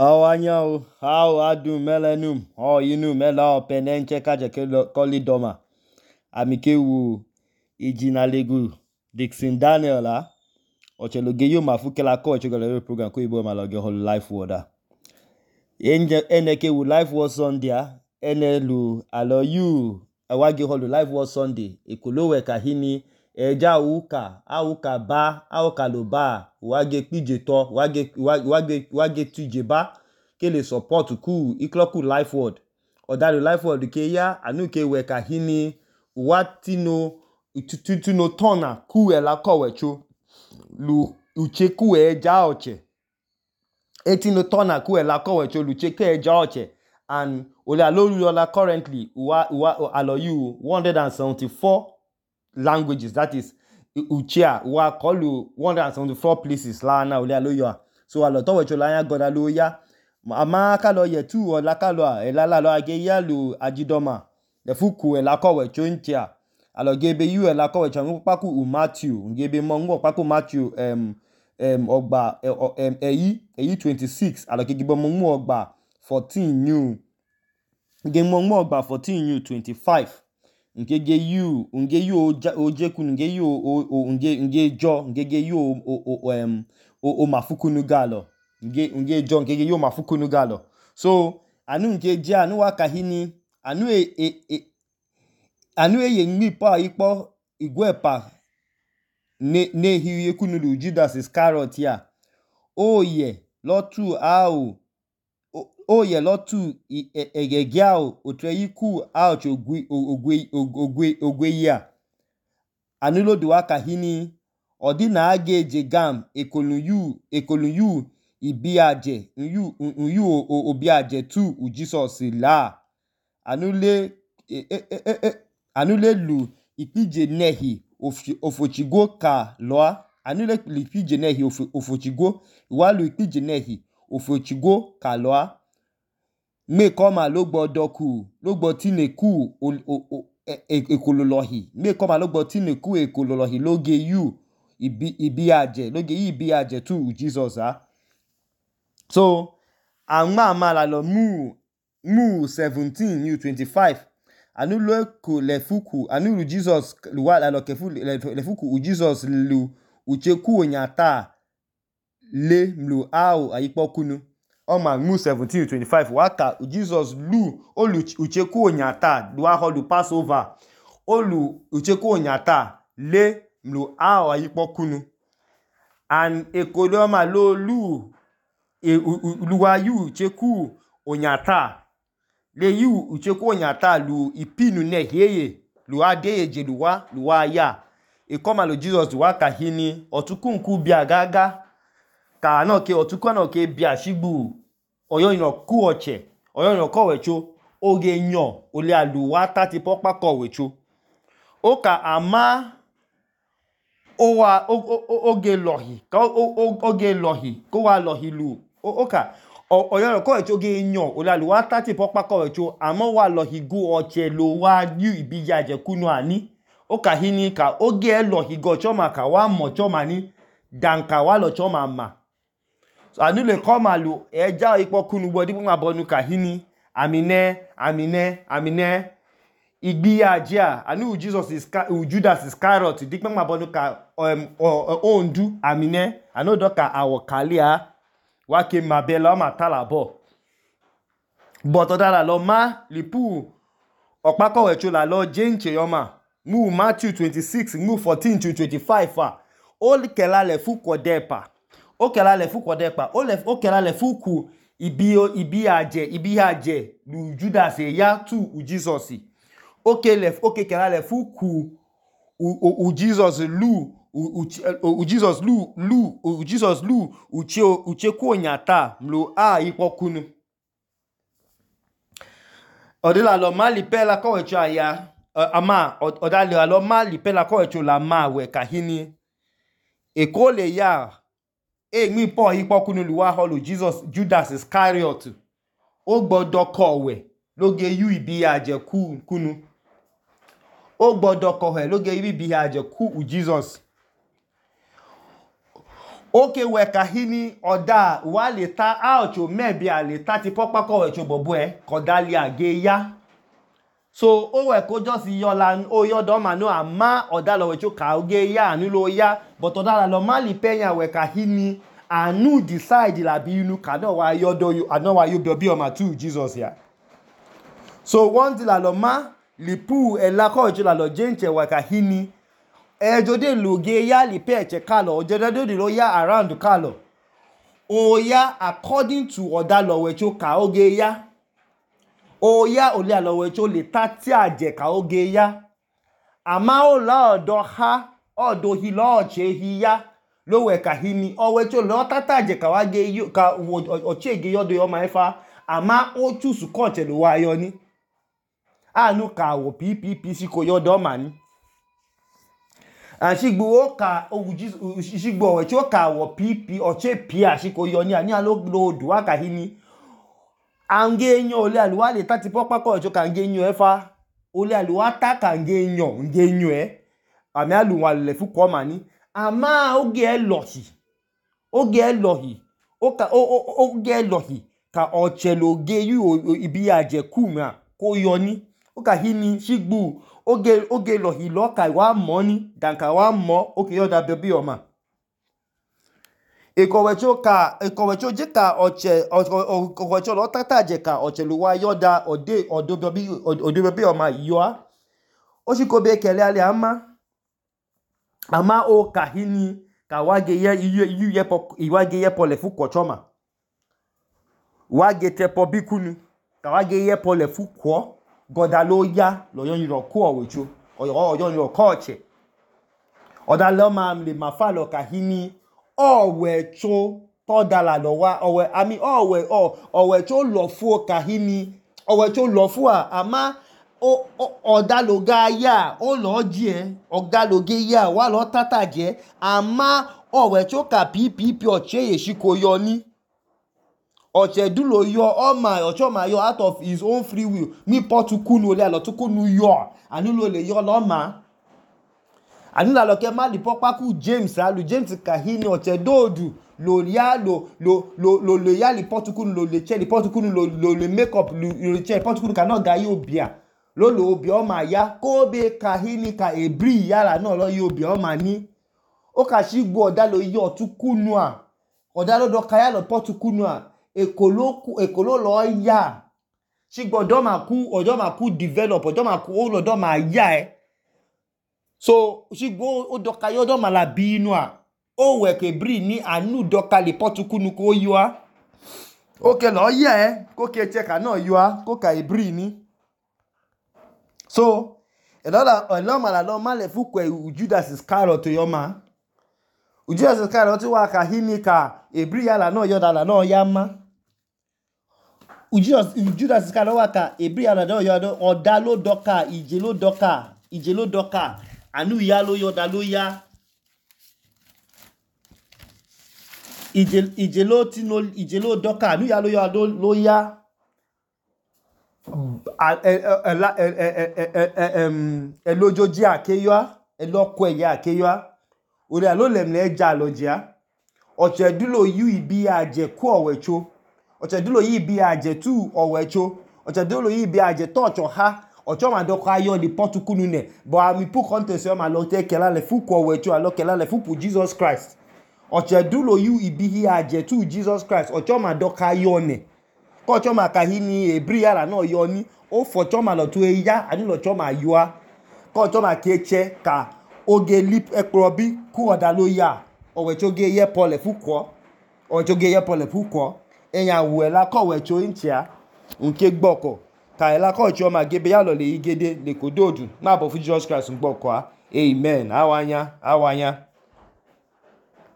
Awanyao, how adu melenum, yinu mela penenche kaje koli doma. Amikewu Ijinalegu Dixon Daniel la. Ocheloge yo mafuke la ko echogale program ko ibo maloge hol life word. Eneke wu life word Sunday enelu alo you awage hol life word Sunday. Ekolowe kahini eja auka ba auka lo ba wage pije to wage tuje ba kele support ku ikloku life word odalu life word ke ya anu ke we kahini watino tuno tona ku ela kowecho lu uche ku eja oche etino tona ku ela kowecho lu uche ke eja oche and ole alola currently alo you 174 languages, that is uchia wa kolu 174 places la na ole aloyo so alo to wecho la ya goda lo ya ama ka lo ye tu o la ka lo e la lo age ya lu ajidoma le fuku e la ko wecho ntia alo gebe you e la ko wecho npa ku Matthew gebe mo ngo pa ku Matthew ogba eyi 26 alo gebe mo ngo ogba 14 new ge mo ngo ogba 14 new 25 ngege you ojeku nge you nge jo ngege you o mafukunu galo nge jo ngege you mafukunu galo so anu nge je anu wakahini anu ye nmi pa ipo igwepa ne hiye kunulu Judas Iscariot ya oye lotu au oye lotu egegiao otreyiku ouch ogwe ya anulo duwa kahini odina age jegam ekolu yu ibiaje yu obiaje tu u Jesus la anule lu ipije nehi ofochigo ka loa anule lu ipije nehi ofochigo walu ipije nehi ofochigo ka loa me koma logbo doku logbo tineku ekololohi me koma logbo tineku ekololohi loge yu ibiaje tu Jesus so ama la lo mu 17 new 25 anu lo ko le fuku anu lu Jesus luwa la lo kefu le fuku u Jesus lu ucheku onyata le mlu au ayipo kunu Oma mu 17:25 waka Jesus lu olu ucheku onyata duwa holu Passover olu ucheku onyata le mlu ao ayipo kunu and ekoloma lo lu luwa yu ucheku onyata le yu ucheku onyata lu ipinu neheye lu adeye je luwa ya ekoma lo Jesus duwa kahini otukunku bia gaga ka anoke otuku anoke bia shigbu oyo ino ku oche oyo ino kowecho oge nyo ole aluwa tati popa kowecho oka ama oge lohi ko wa lohi lu oka oyo ino kowecho oge nyo ole aluwa tati popa kowecho ama wa lohi gu oche lo wa yu ibiyaje kunu ani oka hini ka oge lohi go choma ka wa mo choma ni danka wa lo choma ma so anule koma lu eja ipo kunu gbodi ma bonu kahini amine igbiyaje anu Jesus Judas Iscariot dikpe ma bonu ka ondu amine anu doka awokalia wake mabela ma talabo but odala lo ma lipu opako wecho la lo jenche yoma mu Matthew 26 mu 14 to 25 o kela le fuko depa o kela le fuku ibiaje lu Judas ya tu u Jesus o kela le fuku u Jesus lu u Jesus lu uche ku onyata mlo ipo kunu odila lo mali pela kowecho aya ama odali lo mali pela kowecho la ma we kahini ekole ya mi po ipo kunu luwa holu Jesus Judas Iscariot o gbodo kowe loge yu ibiaje kunu o gbodo kowe loge yu ibiaje ku u Jesus oke weka hini oda wa le ta aocho mebi a le ta ti popa ko wecho bobo koda li age ya so o we ko just yola o yodo ma no ama oda lo wecho ka oge ya anu lo ya but oda la lo ma li penya weka hini anu decide la bi inu ka no wa yodo you anu wa you bi o ma tu Jesus ya so one di la lo ma li pu ela ko wecho la lo jenche weka hini jode loge ya li peche kalo jode do lo ya around kalo o ya according to oda lo wecho ka oge ya o ya ole alo wecho le tati aje ka oge ya ama o la odo ha odo hi lo che hi ya lo weka hini o wecho lo tata aje ka wa ge ka o chege yodo yo ma efa ama o choose ko che lo wa yo ni anu ka wo ppp si ko yodo ma ni ashigbo o ka shigbo we cho ka wo pp o che pi ashiko yo ni ani alo do aka hini ange enyo ole aluwa le tati popa ko cho ka nge enyo efa ole aluwa ta ka nge enyo ami aluwa le fu ko ma ni ama oge elohi oge elohi ka ocheloge yu ibi aje kuma ko yo ni o ka hini shigbo oge lohi lo ka wa mo ni dan ka wa mo o ke yoda bebi o ma ekowecho je ka ochewecho lo tata je ka ochelu wa yoda odo bebi o ma yo a o shi ko be kele ale ama o ka hini ka wa ge ye iwage ye pole fu ko choma wa ge te po bikunu ka wa ge ye pole fu ko goda lo ya lo yon ro ko owecho oyon ro ko che oda lo ma le ma fa lo ka hini owecho to dala lo wa owecho lo fu ka hini owecho lo fu ama oda lo ga ya o lo je oga lo ge ya wa lo tata je ama owecho ka ppp o che ye shi ko yo ni ochedulo yo ocho ma yo out of his own free will ni potukunu ole alo tukunu yo anu lo le yo lo ma anu la lo ke ma li popa ku James kahini ochedodu lo ya lo ya li potukunu lo le che li potukunu lo le make up lo che potukunu ka no ga yo bia lo obi o ma ya ko be kahini ka ebri ya la no lo yo obi o ma ni o ka shigbo oda lo yo tukunu a oda lo do ka ya lo potukunu a ekolo lo ya shigbo odo ma ku develop odo ma ku o lo do ma ya so shigbo o do ka yo do ma la bi inu a o we ke bri ni anu do ka le potukunu ko yo a o ke lo ya ko ke che ka no yo a ko ka ebri ni so elo ma la lo ma le fu ko Judas Iscariot yo ma Judas Iscariot wa ka hini ka ebri ya la no yo da la no ya ma Judas Iscariot wa ka ebri ya la no yo do oda lo doka ije lo doka anu ya lo yo da lo ya ije lo doka anu ya lo yo lo ya elojoji akeyo eloko eye akeyo ore alo lemle eja lojia ochedulo yu ibi aje ku owecho ochedulo yi ibi aje tu owecho ochedulo yi ibi aje touch ha ocho ma doko ayo li potukunu ne but ami pu contest yo ma lo te kela le fu ku owecho alo kela le fu pu Jesus Christ ochedulo yu ibi aje tu Jesus Christ ocho ma doko ayo ne ko choma ka hini ebri yara no yo ni o fo choma lo tu eya ani lo choma yo a ko choma keche ka oge lip ekrobi ku oda lo ya owecho ge ye pole fuko owecho ge ye pole fuko eyan we la ko wecho inchia nke gboko ka ela ko choma gebe ya lo le igede le kododu na bo fu Jesus Christ gboko a amen awanya